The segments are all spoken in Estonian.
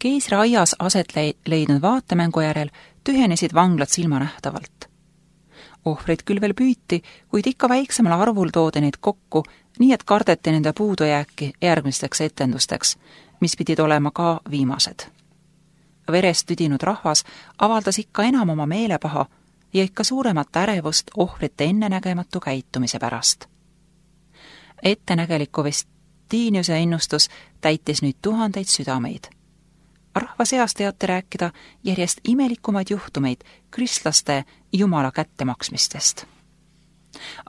Keisri aias aset leidnud vaatemängu järel tühjenesid vanglad silmanähtavalt. Ohvreid küll veel püüti, kuid ikka väiksemal arvul toodi neid kokku, nii et kardeti nende puudujääki järgmisteks etendusteks, mis pidid olema ka viimased. Verest tüdinud rahvas avaldas ikka enam oma meelepaha ja ikka suuremat ärevust ohvrite ennenägematu käitumise pärast. Ettenägeliku Vestiniuse ennustus täitis nüüd tuhandeid südameid. Rahva seas teati rääkida järjest imelikumaid juhtumeid kristlaste jumala kättemaksmistest.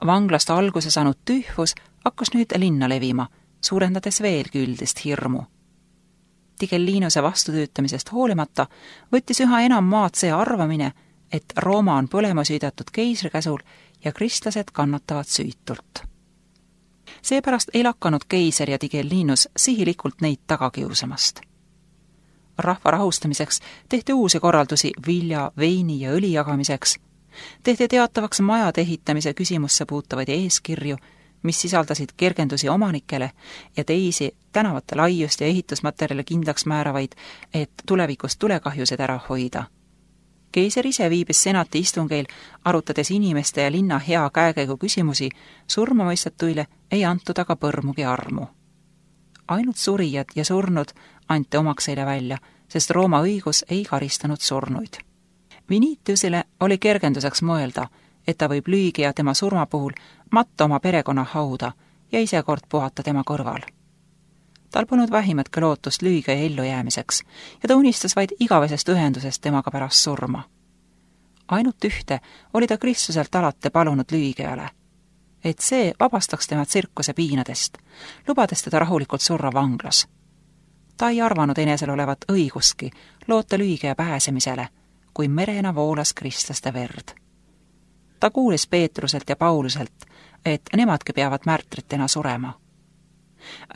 Vanglast alguse saanud tühvus hakkas nüüd linna levima, suurendades veelgi üldist hirmu. Tigellinuse vastutöötamisest hoolimata võttis üha enam maad see arvamine, et Rooma on põlema süüdatud keisri käsul ja kristlased kannatavad süütult. Seepärast ei lakanud keiser ja Tigellinus sihilikult neid tagakiusamast. Rahva rahustamiseks tehti uusi korraldusi vilja, veini ja õli jagamiseks, tehti teatavaks majade ehitamise küsimusse puutavaid eeskirju, mis sisaldasid kergendusi omanikele ja teisi tänavate laiust ja ehitusmaterjale kindlaks määravaid, et tulevikus tulekahjused ära hoida. Keiser ise viibis senati istungeil, arutades inimeste ja linna hea käekäigu küsimusi, surmamõistetuile ei antud aga põrmugi armu. Ainult surijad ja surnud anti omakseile välja, sest Rooma õigus ei karistanud surnuid. Vinitiusile oli kergenduseks mõelda, et ta võib lüügi ja tema surma puhul matta oma perekonna hauda ja ise kord puhata tema kõrval. Tal polnud vähimatki lootust lüüga ja ellujäämiseks ja ta unistas vaid igavesest ühendusest temaga pärast surma. Ainult ühte oli ta Kristuselt alati palunud lüügijale, et see vabastaks tema tsirkuse piinadest, lubades teda rahulikult surra vanglas. Ta ei arvanud enesel olevat õigustki loota lüügija pääsemisele, kui merena voolas kristlaste verd. Ta kuulis Peetruselt ja Pauluselt, et nemadki peavad märtritena surema.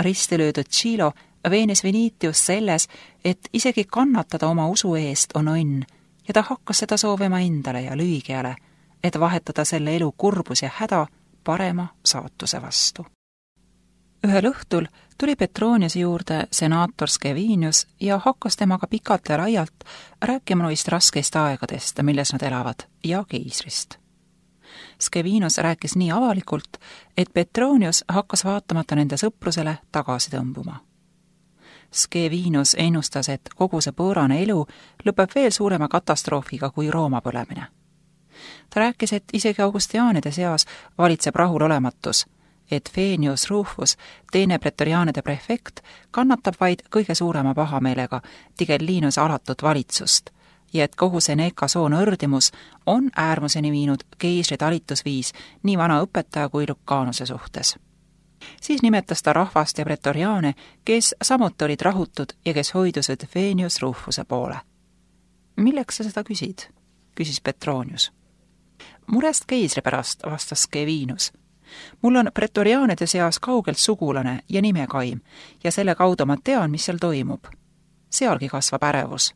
Ristilöödud Tšilo veenis Vinitius selles, et isegi kannatada oma usu eest on õnn ja ta hakkas seda soovima endale ja lüügijale, et vahetada selle elu kurbus ja häda parema saatuse vastu. Ühel õhtul tuli Petroniuse juurde senaator Scevinius ja hakkas temaga pikalt ja laialt rääkima noist raskeist aegadest, milles nad elavad, ja keisrist. Scevinius rääkis nii avalikult, et Petronius hakkas vaatamata nende sõprusele tagasi tõmbuma. Scevinius ennustas, et kogu see pöörane elu lõpeb veel suurema katastroofiga kui Rooma põlemine. Ta rääkis, et isegi augustiaanide seas valitseb rahulolematus, et Fenius Rufus, teine pretoriaanide prefekt, kannatab vaid kõige suurema pahameelega Tigellinuse alatut valitsust ja et kogu Seneca soon õrdimus on äärmuseni viinud keisri talitusviis nii vana õpetaja kui Lucanuse suhtes. Siis nimetas ta rahvast ja pretoriaane, kes samuti olid rahutud ja kes hoidusid Fenius Rufuse poole. Milleks sa seda küsid? Küsis Petronius. Murest keisri pärast, vastas Scevinius. Mul on pretoriaanide seas kaugelt sugulane ja nimekaim ja selle kaudu ma tean, mis seal toimub. Sealgi kasvab ärevus.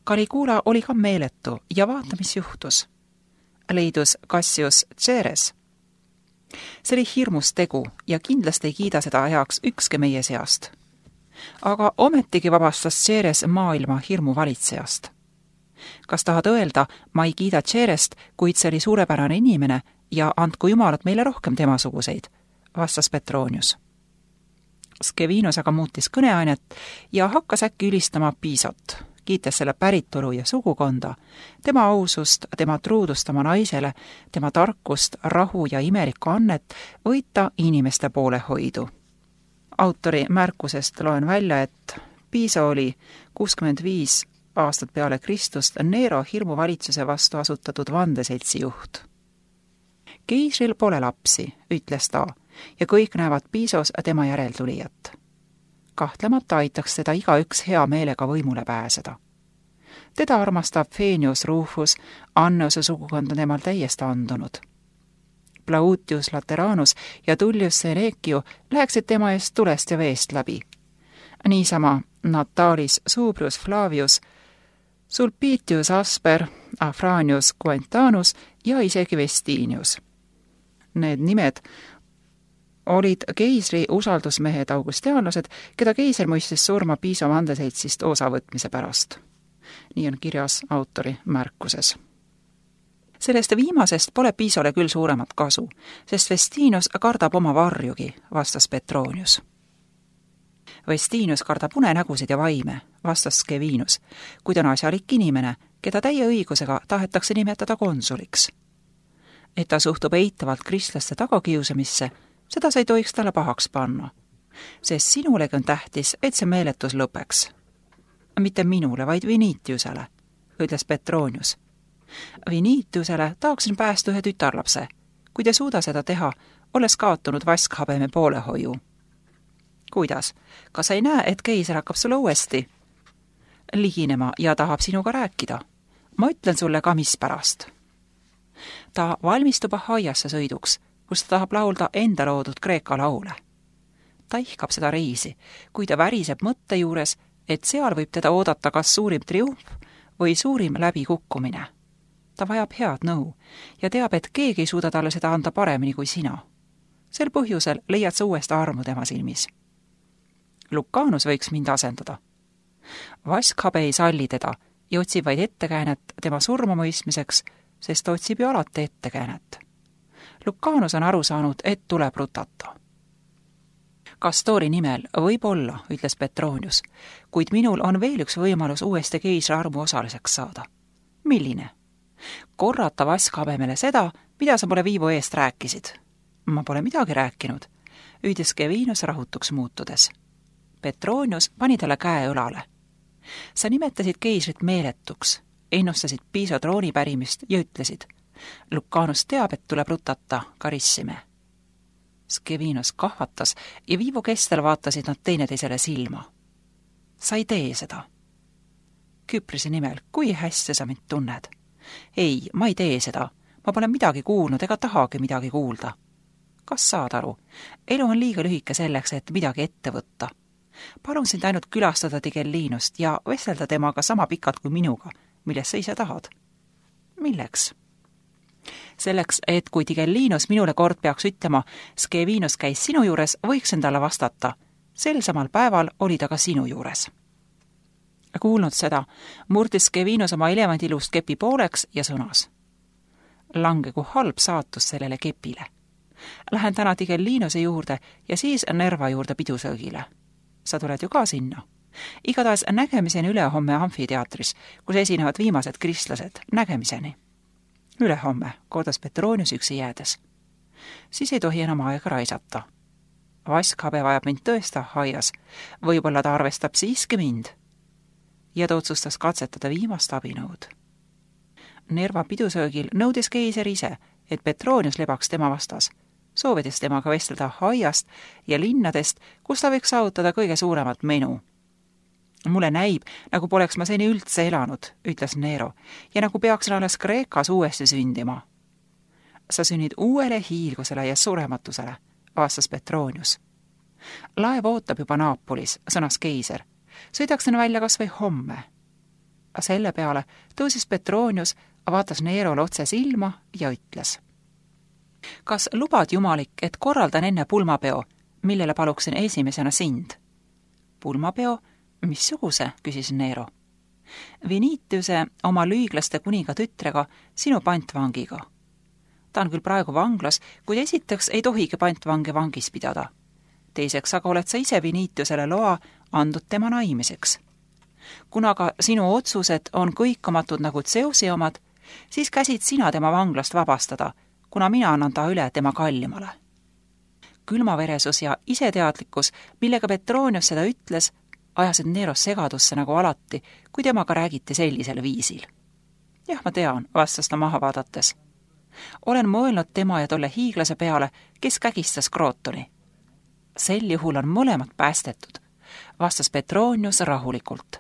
Caligula oli ka meeletu ja vaata, mis juhtus. Leidus Cassius Ceres. See oli hirmus tegu ja kindlasti ei kiida seda heaks ükski meie seast. Aga ometigi vabastas Ceres maailma hirmu valitsejast. Kas tahad öelda, ma ei kiida Cerest, kuid see oli suurepärane inimene ja andku jumalat meile rohkem temasuguseid, vastas Petronius. Scevinius aga muutis kõneainet ja hakkas äkki ülistama Pisot, kiites selle päritolu ja sugukonda, tema ausust, tema truudust oma naisele, tema tarkust, rahu ja imelikku annet võita inimeste poolehoidu. Autori märkusest loen välja, et Piso oli 65 aastat peale Kristust Nero hirmuvalitsuse vastu asutatud vandeseltsi juht. Keisril pole lapsi, ütles ta, ja kõik näevad Pisos tema järeltulijat. Kahtlemata aitaks teda igaüks hea meelega võimule pääseda. Teda armastab Fenius Rufus, Anneuse sugukond on temal täiesti andunud. Plautius Lateranus ja Tullius Senecio läheksid tema eest tulest ja veest läbi. Niisama Natalis Subrius Flavius, Sulpitius Asper, Afranius Quentanus ja isegi Vestinius. Need nimed olid keisri usaldusmehed augustiaanlased, keda keiser mõistis surma Piso vandeseitsist osavõtmise pärast. Nii on kirjas autori märkuses. Sellest viimasest pole Pisole küll suuremat kasu, sest Vestinus kardab oma varjugi, vastas Petronius. Vestinus kardab unenägusid ja vaime, vastas Scevinus, kuid on asjalik inimene, keda täie õigusega tahetakse nimetada konsuliks. Et ta suhtub eitavalt kristlaste tagakiusamisse, seda sa ei tohiks talle pahaks panna, sest sinulegi on tähtis, et see meeletus lõpeks. Mitte minule, vaid Vinitiusele, ütles Petronius. Vinitiusele tahaksin päästa ühe tütarlapse, kuid ei suuda seda teha, olles kaotunud vaskhabeme poolehoiu. Kuidas? Kas sa ei näe, et keiser hakkab sulle uuesti liginema ja tahab sinuga rääkida? Ma ütlen sulle ka, mis pärast. Ta valmistub Ahaiasse sõiduks, kus ta tahab laulda enda loodud Kreeka laule. Ta ihkab seda reisi, kui ta väriseb mõtte juures, et seal võib teda oodata kas suurim triumf või suurim läbikukkumine. Ta vajab head nõu ja teab, et keegi ei suuda talle seda anda paremini kui sina. Sel põhjusel leiad sa uuesti armu tema silmis. Lucanus võiks mind asendada. Vaskhabe ei salli teda ja otsib vaid ettekäänet tema surmamõistmiseks, sest ta otsib ju alati ettekäänet. Lucanus on aru saanud, et tuleb rutata. Kastori nimel võib olla, ütles Petronius, kuid minul on veel üks võimalus uuesti keisri armu osaliseks saada. Milline? Korrata vaskhabemele seda, mida sa pole Viivo eest rääkisid. Ma pole midagi rääkinud, ütles Scevinus rahutuks muutudes. Petronius pani talle käe õlale. Sa nimetasid keisrit meeletuks, ennustasid Piso trooni pärimist ja ütlesid, Lucanus teab, et tuleb rutata, karissime. Scevinus kahvatas ja Viivo kestel vaatasid nad teineteisele silma. Sa ei tee seda. Küprose nimel, kui hästi sa mind tunned? Ei, ma ei tee seda. Ma pole midagi kuulnud ega tahagi midagi kuulda. Kas saad aru? Elu on liiga lühike selleks, et midagi ette võtta. Palun sind ainult külastada Tigellinust ja vestelda temaga sama pikalt kui minuga, millest sa ise tahad. Milleks? Selleks, et kui Tigellinus minule kord peaks ütlema, Scevinus käis sinu juures, võiksin talle vastata. Sel samal päeval oli ta ka sinu juures. Kuulnud seda, murdis Scevinus oma elevandilust kepi pooleks ja sõnas. Langegu halb saatus sellele kepile. Lähen täna Tigellinuse juurde ja siis Nerva juurde pidusöögile. Sa tuled ju ka sinna. Igatahes nägemiseni ülehomme amfiteatris, kus esinevad viimased kristlased. Nägemiseni. Ülehomme, kordas Petronius üksi jäädes. Siis ei tohi enam aega raisata. Vaskhabe vajab mind tõesta Ahaias. Võib-olla ta arvestab siiski mind. Ja ta otsustas katsetada viimast abinõud. Nerva pidusöögil nõudis keiser ise, et Petronius lebaks tema vastas, soovides temaga vestelda Ahaiast ja linnadest, kus ta võiks saavutada kõige suuremat menu. Mulle näib, nagu poleks ma seni üldse elanud, ütles Nero, ja nagu peaksin alles Kreekas uuesti sündima. Sa sünnid uuele hiilgusele ja surematusele, vastas Petronius. Laev ootab juba Naapolis, sõnas keiser. Sõidaksin välja kas või homme. Selle peale tõusis Petronius, vaatas Nerole otse silma ja ütles. Kas lubad jumalik, et korraldan enne pulmapeo, millele paluksin esimesena sind? Pulmapeo? Missuguse, küsis Nero. Vinitiuse oma lüiglaste kuninga tütrega, sinu pantvangiga. Ta on küll praegu vanglas, kuid esiteks ei tohigi pantvange vangis pidada. Teiseks aga oled sa ise Vinitiusele loa andnud tema naimiseks. Kuna ka sinu otsused on kõikumatud nagu Zeusi omad, siis käsid sina tema vanglast vabastada, kuna mina annan ta üle tema kallimale. Külmaveresus ja iseteadlikkus, millega Petronius seda ütles, ajasid Neros segadusse nagu alati, kui temaga räägiti sellisel viisil. Jah, ma tean, vastas ta maha vaadates. Olen mõelnud tema ja tolle hiiglase peale, kes kägistas Krootoni. Sel juhul on mõlemad päästetud, vastas Petronius rahulikult.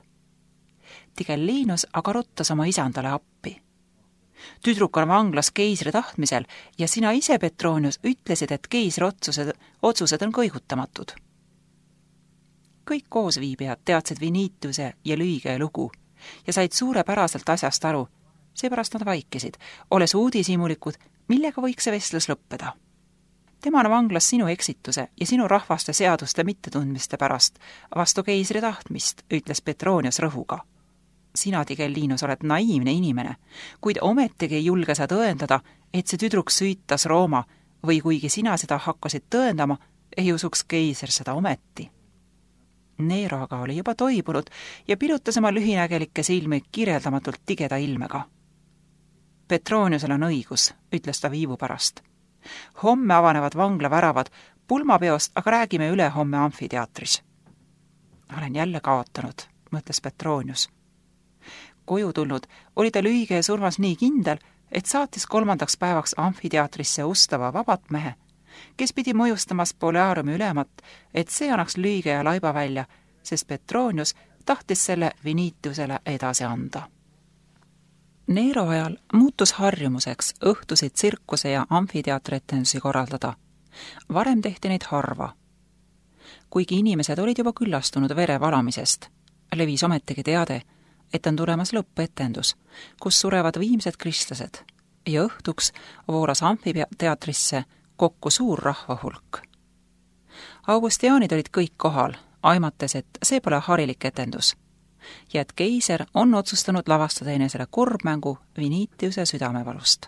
Tigellinus aga ruttas oma isandale appi. Tüdruk on vanglas keisri tahtmisel ja sina ise, Petronius, ütlesid, et keisri otsused on kõigutamatud. Kõik koosviibijad teadsid Vinitiuse ja Lüige lugu ja said suurepäraselt asjast aru, seepärast nad vaikisid, olles uudishimulikud, millega võiks see vestlus lõppeda. tema on vanglas sinu eksituse ja sinu rahvaste seaduste mittetundmiste pärast, vastu keisri tahtmist, ütles Petronius rõhuga. Sina, Tigellinus, oled naiivne inimene, kuid ometigi ei julge sa tõendada, et see tüdruk süütas Rooma või kuigi sina seda hakkasid tõendama, ei usuks keiser seda ometi. Nero aga oli juba toibunud ja pilutas oma lühinägelikke silmi kirjeldamatult tigeda ilmega. Petroniusel on õigus, ütles ta viivu pärast. Homme avanevad vangla väravad, pulmapeost aga räägime üle homme amfiteatris. Olen jälle kaotanud, mõtles Petronius. Koju tulnud oli ta lühige ja surmas nii kindel, et saatis 3. päevaks amfiteatrisse ustava vabatmehe, kes pidi mõjustamas Boleariumi ülemat, et see annaks lühige ja laiba välja, sest Petronius tahtis selle Vinitiusele edasi anda. Nero ajal muutus harjumuseks õhtusid tsirkuse ja amfiteatretendusi korraldada. Varem tehti neid harva. Kuigi inimesed olid juba küllastunud vere valamisest, levis ometigi teade, et on tulemas lõppetendus, kus surevad viimsed kristlased ja õhtuks vooras amfiteatrisse kokku suur rahvahulk. Augustiaanid olid kõik kohal, aimates, et see pole harilik etendus ja et keiser on otsustanud lavastada enesele kurbmängu Vinitiuse südamevalust.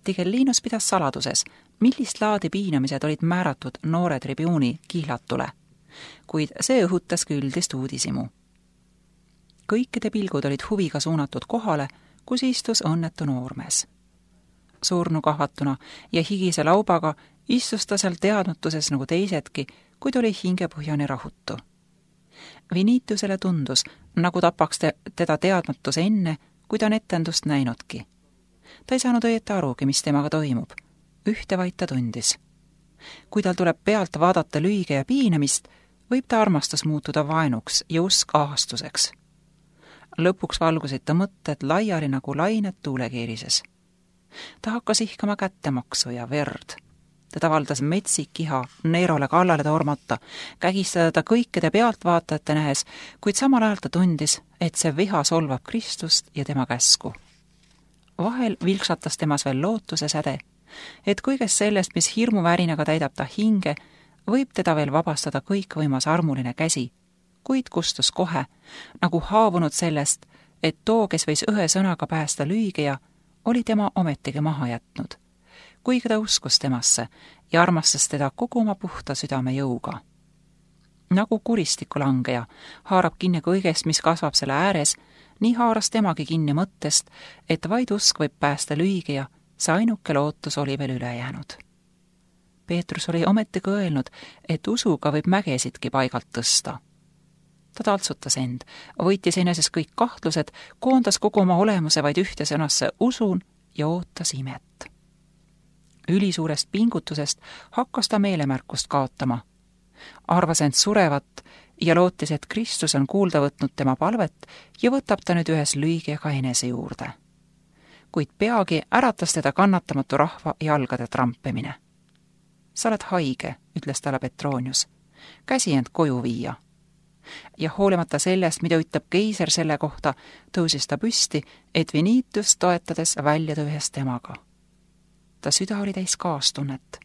Tigellinus pidas saladuses, millist laadi piinamised olid määratud noore tribuuni kihlatule, kuid see õhutas ka üldist uudisimu. Kõikide pilgud olid huviga suunatud kohale, kus istus õnnetu noormees. Surnukahvatuna ja higise laubaga istus ta seal teadmatuses nagu teisedki, kuid oli hingepõhjani rahutu. Vinitiusele tundus, nagu tapaks teda teadmatus enne, kui ta on etendust näinudki. Ta ei saanud õieti arugi, mis temaga toimub. Ühte vaid ta tundis. Kui tal tuleb pealt vaadata lühige ja piinamist, võib ta armastus muutuda vaenuks ja usk ahastuseks. Lõpuks valgusid ta mõtted laiali nagu lained tuulekeerises. Ta hakkas ihkama kättemaksu ja verd. Teda valdas metsik iha Nerole kallale tormata, kägistada ta kõikide pealtvaatajate nähes, kuid samal ajal ta tundis, et see viha solvab Kristust ja tema käsku. Vahel vilksatas temas veel lootuse säde, et kõigest sellest, mis hirmuvärinaga täidab ta hinge, võib teda veel vabastada kõikvõimas armuline käsi, kuid kustus kohe, nagu haavunud sellest, et too, kes võis ühe sõnaga päästa lüügeja, oli tema ometigi maha jätnud, kuigi ta uskus temasse ja armastas teda kogu oma puhta südame jõuga. Nagu kuristikulangeja haarab kinni kõigest, mis kasvab selle ääres, nii haaras temagi kinni mõttest, et vaid usk võib päästa lüügeja, see ainuke lootus oli veel üle jäänud. Peetrus oli ometigi öelnud, et usuga võib mägesidki paigalt tõsta. Ta taltsutas end, võitis eneses kõik kahtlused, koondas kogu oma olemuse vaid ühte sõnasse usun ja ootas imet. Ülisuurest pingutusest hakkas ta meelemärkust kaotama. Arvas end surevat ja lootis, et Kristus on kuulda võtnud tema palvet ja võtab ta nüüd ühes lüügiga enese juurde. Kuid peagi äratas teda kannatamatu rahva jalgade trampimine. Sa oled haige, ütles talle Petronius. Käsi end koju viia. Ja hoolimata sellest, mida ütleb keiser selle kohta, tõusis ta püsti, et Vinitiust toetades väljuda ühes temaga. Ta süda oli täis kaastunnet.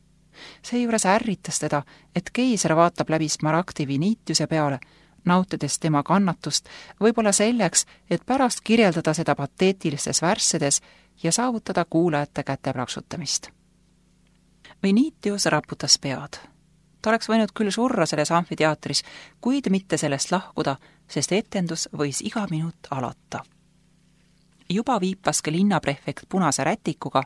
Seejuures ärritas teda, et keiser vaatab läbi smaragdi Vinitiuse peale, nautides tema kannatust, võib-olla selleks, et pärast kirjeldada seda pateetilistes värssedes ja saavutada kuulajate käteplaksutamist. Vinitius raputas pead. Ta oleks võinud küll surra selles amfiteatris, kuid mitte sellest lahkuda, sest etendus võis iga minut alata. Juba viipaski linnaprefekt punase rätikuga,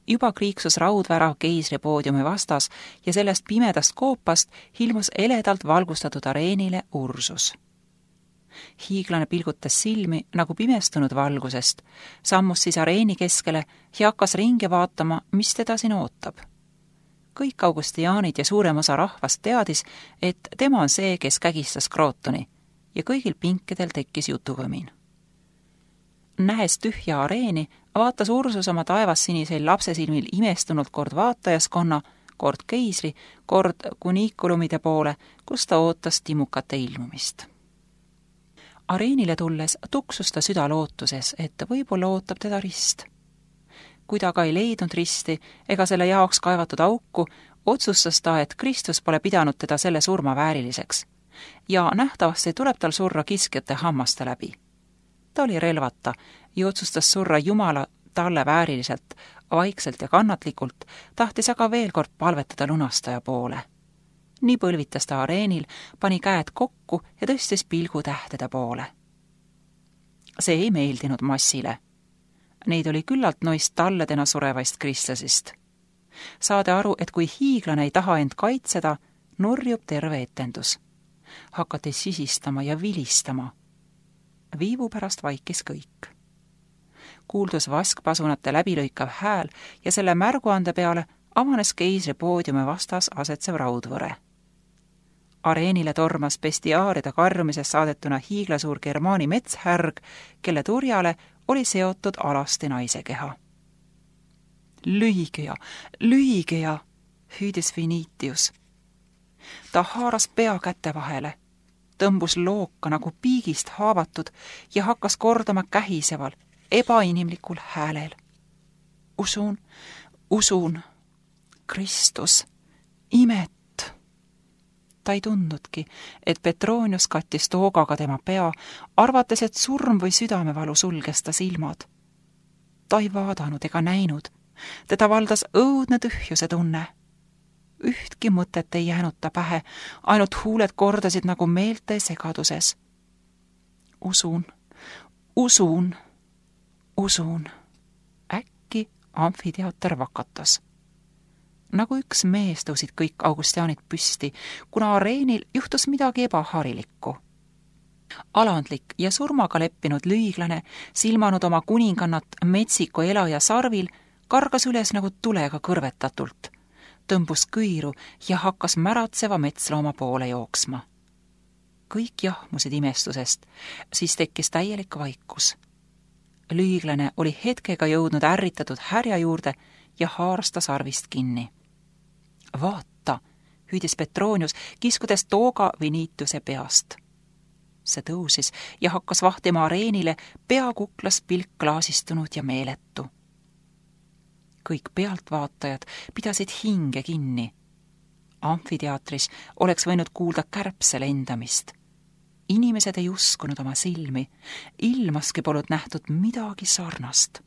juba kriiksus raudvärav keisri poodiumi vastas ja sellest pimedast koopast ilmus eledalt valgustatud areenile Ursus. Hiiglane pilgutas silmi nagu pimestunud valgusest, sammus siis areeni keskele ja hakkas ringi vaatama, mis teda siin ootab. Kõik augustiaanid ja suurem osa rahvast teadis, et tema on see, kes kägistas Krootoni ja kõigil pinkidel tekkis jutuvõmin. Nähes tühja areeni, vaatas Ursus oma taevassinisel lapsesilmil imestunult kord vaatajaskonna, kord keisri, kord kuniikulumide poole, kus ta ootas timukate ilmumist. Areenile tulles tuksus ta süda lootuses, et võib-olla ootab teda rist. Kui ta aga ei leidnud risti ega selle jaoks kaevatud auku, otsustas ta, et Kristus pole pidanud teda selle surma vääriliseks ja nähtavasti tuleb tal surra kiskjate hammaste läbi. Ta oli relvata ja otsustas surra Jumala talle vääriliselt, vaikselt ja kannatlikult, tahtis aga veel kord palvetada lunastaja poole. Nii põlvitas ta areenil, pani käed kokku ja tõstis pilgu tähtede poole. See ei meeldinud massile. Neid oli küllalt noist talledena surevaist kristlasist. Saade aru, et kui hiiglane ei taha end kaitseda, nurjub terve etendus. Hakati sisistama ja vilistama. Viivu pärast vaikis kõik. Kuuldus vaskpasunate läbilõikav hääl ja selle märguande peale avanes keisri poodiumi vastas asetsev raudvõre. Areenile tormas bestiaaride karjumisest saadetuna hiiglasuur Germaani metshärg, kelle turjale oli seotud alasti naise keha. Lühige ja, hüüdis Vinitius. Ta haaras pea käte vahele, tõmbus looka nagu piigist haavatud ja hakkas kordama kähiseval, ebainimlikul häälel. Usun, Kristus, imet. Ta ei tundnudki, et Petronius kattis toogaga tema pea, arvates, et surm või südamevalu sulges ta silmad. Ta ei vaadanud ega näinud. Teda valdas õudne tühjuse tunne. Ühtki mõtet ei jäänud ta pähe, ainult huuled kordasid nagu meelte segaduses. Usun. Äkki amfiteater vakatas. Nagu üks mees tõusid kõik augustiaanid püsti, kuna areenil juhtus midagi ebaharilikku. Alandlik ja surmaga leppinud lüiglane, silmanud oma kuningannat metsiku elaja sarvil, kargas üles nagu tulega kõrvetatult, tõmbus kõiru ja hakkas märatseva metslooma poole jooksma. Kõik jahmusid imestusest, siis tekkis täielik vaikus. Lüiglane oli hetkega jõudnud ärritatud härja juurde ja haaras ta sarvist kinni. Vaata, hüüdis Petronius, kiskudes tooga Vinitiuse peast. See tõusis ja hakkas vahtima areenile, pea kuklas pilk klaasistunud ja meeletu. Kõik pealtvaatajad pidasid hinge kinni. Amfiteatris oleks võinud kuulda kärbse lendamist. Inimesed ei uskunud oma silmi, ilmaski polnud nähtud midagi sarnast.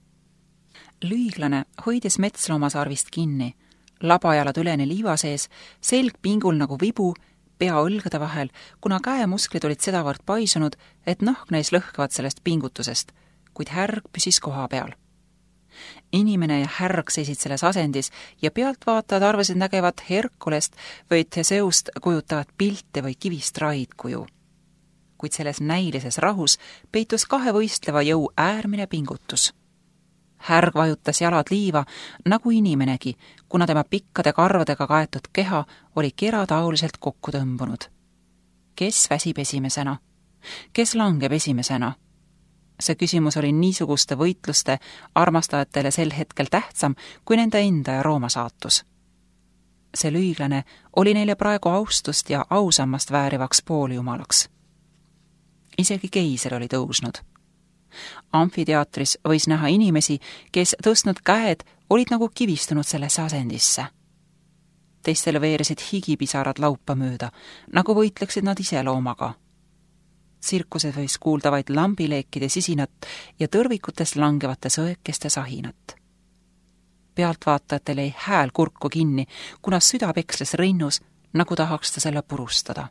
Lüiglane hoidis metsloomasarvist kinni, labajalad üleni liiva sees, selg pingul nagu vibu, pea õlgade vahel, kuna käemusklid olid sedavõrd paisunud, et nahk näis lõhkevad sellest pingutusest, kuid härg püsis koha peal. Inimene ja härg seisid selles asendis ja pealtvaatajad arvasid nägevat Herkulest või Theseust kujutavat pilte või kivist raidkuju. Kuid selles näilises rahus peitus kahe võistleva jõu äärmine pingutus. Härg vajutas jalad liiva nagu inimenegi, kuna tema pikkade karvadega kaetud keha oli kerataoliselt kokku tõmbunud. Kes väsib esimesena? Kes langeb esimesena? See küsimus oli niisuguste võitluste armastajatele sel hetkel tähtsam kui nende enda ja Rooma saatus. See lüiglane oli neile praegu austust ja ausammast väärivaks pooljumalaks. Isegi keiser oli tõusnud. Amfiteatris võis näha inimesi, kes tõstnud käed olid nagu kivistunud sellesse asendisse. Teistele veeresid higipisarad laupa mööda, nagu võitleksid nad ise loomaga. Tsirkuses võis kuulda vaid lambileekide sisinat ja tõrvikutes langevate sõekeste sahinat. Pealtvaatajatel jäi hääl kurku kinni, kuna süda peksles rinnus, nagu tahaks ta selle purustada.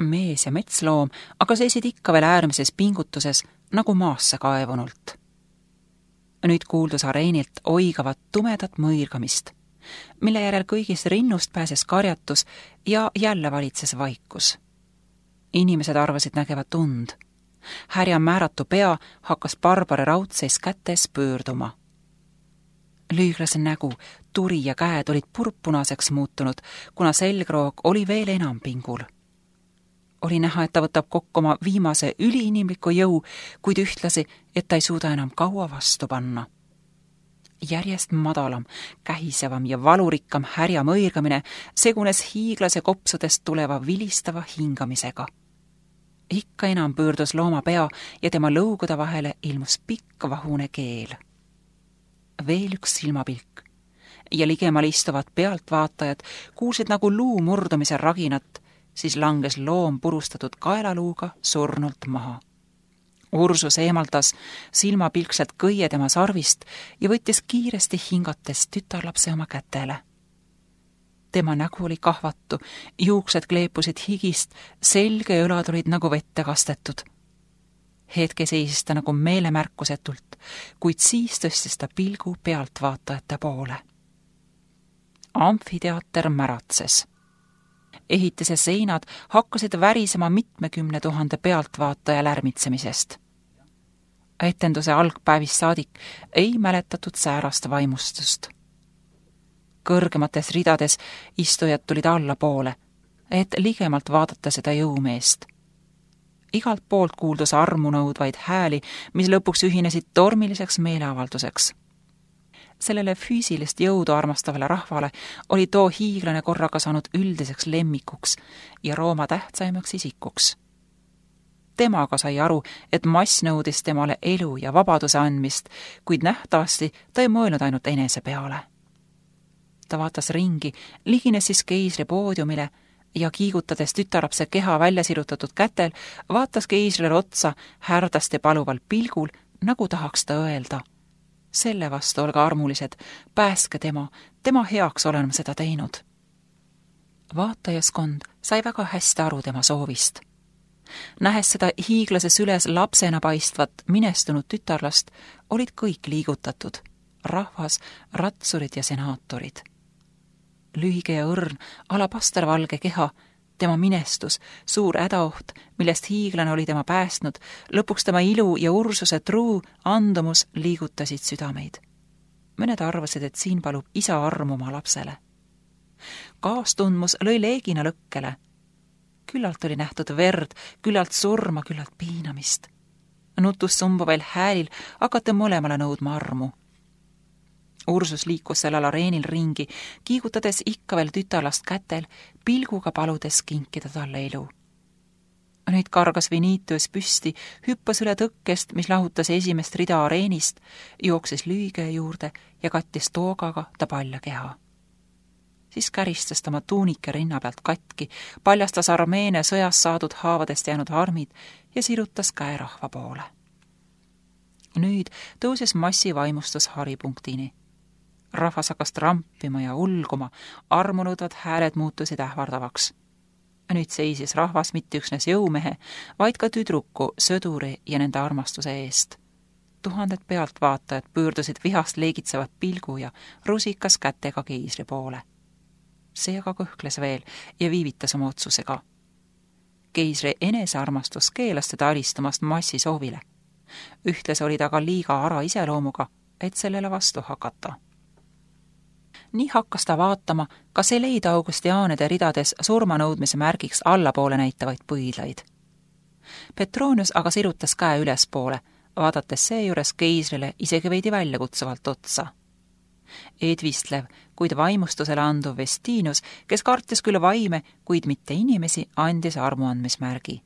Mees ja metsloom aga seisid ikka veel äärmises pingutuses, nagu maasse kaevunult. Nüüd kuuldus areenilt oigavat tumedat mõirgamist, mille järel kõigist rinnust pääses karjatus ja jälle valitses vaikus. Inimesed arvasid nägevat und. Härja määratu pea hakkas barbari raudseis kätes pöörduma. Lüüglase nägu, turi ja käed olid purpunaseks muutunud, kuna selgroog oli veel enam pingul. Oli näha, et ta võtab kokku oma viimase üliinimliku jõu, kuid ühtlasi, et ta ei suuda enam kaua vastu panna. Järjest madalam, kähisevam ja valurikkam härja mõirgamine segunes hiiglase kopsudest tuleva vilistava hingamisega. Ikka enam pöördus looma pea ja tema lõugude vahele ilmus pikk vahune keel. Veel üks silmapilk. ja ligemal istuvad pealtvaatajad kuulsid nagu luu murdumise raginat, siis langes loom purustatud kaelaluuga surnult maha. Ursus eemaldas silmapilkselt kõie tema sarvist ja võttis kiiresti hingates tütarlapse oma kätele. Tema nägu oli kahvatu, juuksed kleepusid higist, selge ja õlad olid nagu vette kastetud. Hetke seisis ta nagu meelemärkusetult, kuid siis tõstis ta pilgu pealtvaatajate poole. Amfiteater märatses. Ehitise seinad hakkasid värisema 70 000 pealtvaataja lärmitsemisest. Etenduse algpäevist saadik ei mäletatud säärast vaimustust. Kõrgemates ridades istujad tulid allapoole, et ligemalt vaadata seda jõumeest. Igalt poolt kuuldus armu nõudvaid hääli, mis lõpuks ühinesid tormiliseks meeleavalduseks. Sellele füüsilist jõudu armastavale rahvale oli too hiiglane korraga saanud üldiseks lemmikuks ja Rooma tähtsaimaks isikuks. Temaga sai aru, et mass nõudis temale elu ja vabaduse andmist, kuid nähtavasti ta ei mõelnud ainult enese peale. Ta vaatas ringi, ligines siis keisri poodiumile ja kiigutades tütarlapse keha välja sirutatud kätel, vaatas keisrile otsa härdast ja paluval pilgul, nagu tahaks ta öelda. Selle vastu olge armulised, pääske tema heaks olen ma seda teinud. Vaatajaskond sai väga hästi aru tema soovist. Nähes seda hiiglase süles lapsena paistvat minestunud tütarlast, olid kõik liigutatud, rahvas, ratsurid ja senaatorid. Lühige ja õrn, alapastervalge keha, tema minestus, suur hädaoht, millest hiiglane oli tema päästnud, lõpuks tema ilu ja Ursuse truu andumus liigutasid südameid. Mõned arvasid, et siin palub isa armu oma lapsele. Kaastundmus lõi leegina lõkkele. Küllalt oli nähtud verd, küllalt surma, küllalt piinamist. Nutus sumbuvail häälil hakati mõlemale nõudma armu. Ursus liikus sellel areenil ringi, kiigutades ikka veel tütarlast kätel, pilguga paludes kinkida talle elu. Nüüd kargas Vinitius püsti, hüppas üle tõkkest, mis lahutas esimest rida areenist, jooksis lüüge juurde ja kattis toogaga ta palja keha. Siis käristas ta oma tuunike rinna pealt katki, paljastas Armeenia sõjas saadud haavadest jäänud armid ja sirutas käe rahva poole. Nüüd tõusis massivaimustus haripunktini. Rahvas hakkas trampima ja ulguma, armunõudvad hääled muutusid ähvardavaks. Nüüd seisis rahvas mitte üksnes jõumehe, vaid ka tüdruku, sõduri ja nende armastuse eest. Tuhanded pealtvaatajad pöördusid vihast leegitsevat pilgu ja rusikas kätega keisri poole. See aga kõhkles veel ja viivitas oma otsusega. Keisri enesearmastus keelas teda alistamast massi soovile. Ühtlasi oli ta ka liiga ara iseloomuga, et sellele vastu hakata. Nii hakkas ta vaatama, kas ei leida Augustiaanide ridades surmanõudmise märgiks allapoole näitavaid põidlaid. Petronius aga sirutas käe ülespoole, vaadates seejuures keisrile isegi veidi väljakutsuvalt otsa. Edvistlev, kuid vaimustusele anduv Vestinius, kes kartis küll vaime, kuid mitte inimesi, andis armuandmismärgi.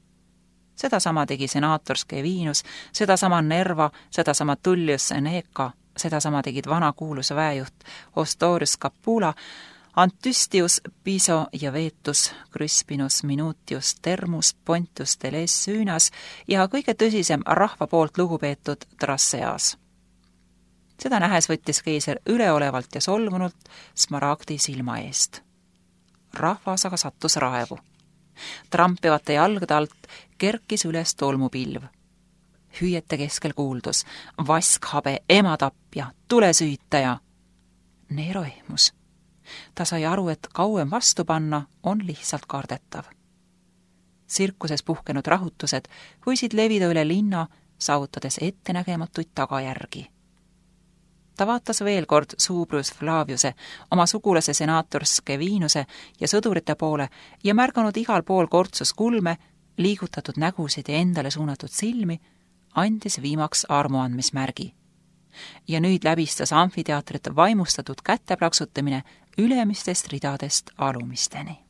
Sedasama tegi senaator Scevinus, sedasama Nerva, sedasama Tullius Seneca, sedasama tegid vanakuulus väejuht Ostorius Capula, Antystius, Piso ja Veetus, Crispinus, Minutius, Termus, Pontius, Teles, Süünas ja kõige tõsisem rahva poolt lugupeetud Traseas. Seda nähes võttis keiser üleolevalt ja solvunult Smaragdi silma eest. Rahvas aga sattus raevu. Trampivate jalgade alt kerkis üles tolmupilv. Hüüete keskel kuuldus, vaskhabe, ematapja, tulesüütaja. Neero ehmus. Ta sai aru, et kauem vastu panna on lihtsalt kardetav. Sirkuses puhkenud rahutused võisid levida üle linna, saavutades ettenägematuid tagajärgi. Ta vaatas veel kord Subrius Flaviuse, oma sugulase senaator Scevinuse ja sõdurite poole ja märganud igal pool kortsus kulme, liigutatud nägusid ja endale suunatud silmi, andis viimaks armuandmismärgi. Ja nüüd läbistas amfiteatrit vaimustatud käteplaksutamine ülemistest ridadest alumisteni.